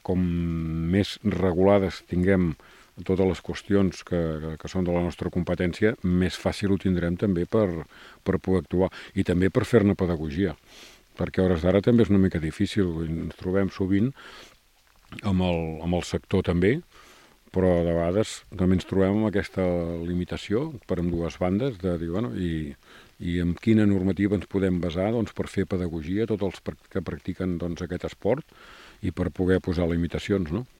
Com més regulades tinguem totes les qüestions que són de la nostra competència, més fàcil ho tindrem també per poder actuar i també per fer-ne pedagogia, perquè a hores d'ara també és una mica difícil, ens trobem sovint amb el sector també, però de vegades també ens trobem amb aquesta limitació per ambdues bandes de dir, bueno, i en quina normativa ens podem basar doncs, per fer pedagogia a tots els que practiquen doncs, aquest esport i per poder posar limitacions, no?